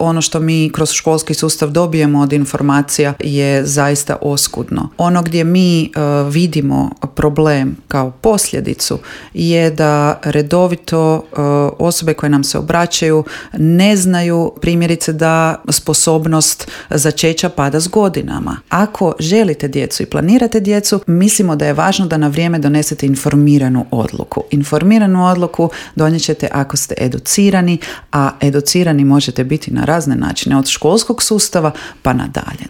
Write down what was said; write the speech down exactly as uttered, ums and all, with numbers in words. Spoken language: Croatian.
ono što mi kroz školski sustav dobijemo od informacija je zaista oskudno. Ono gdje mi uh, vidimo problem kao posljedicu je da redovito uh, osobe koje nam se obraćaju ne znaju primjerice da sposobnost začeća pada s godinama. Ako želite djecu i planirate djecu, mislimo da je važno da na vrijeme donesete informiranu odluku. Informiranu odluku donijet ćete ako ste educirani, a educirani možete biti na razne načine, od školskog sustava pa nadalje.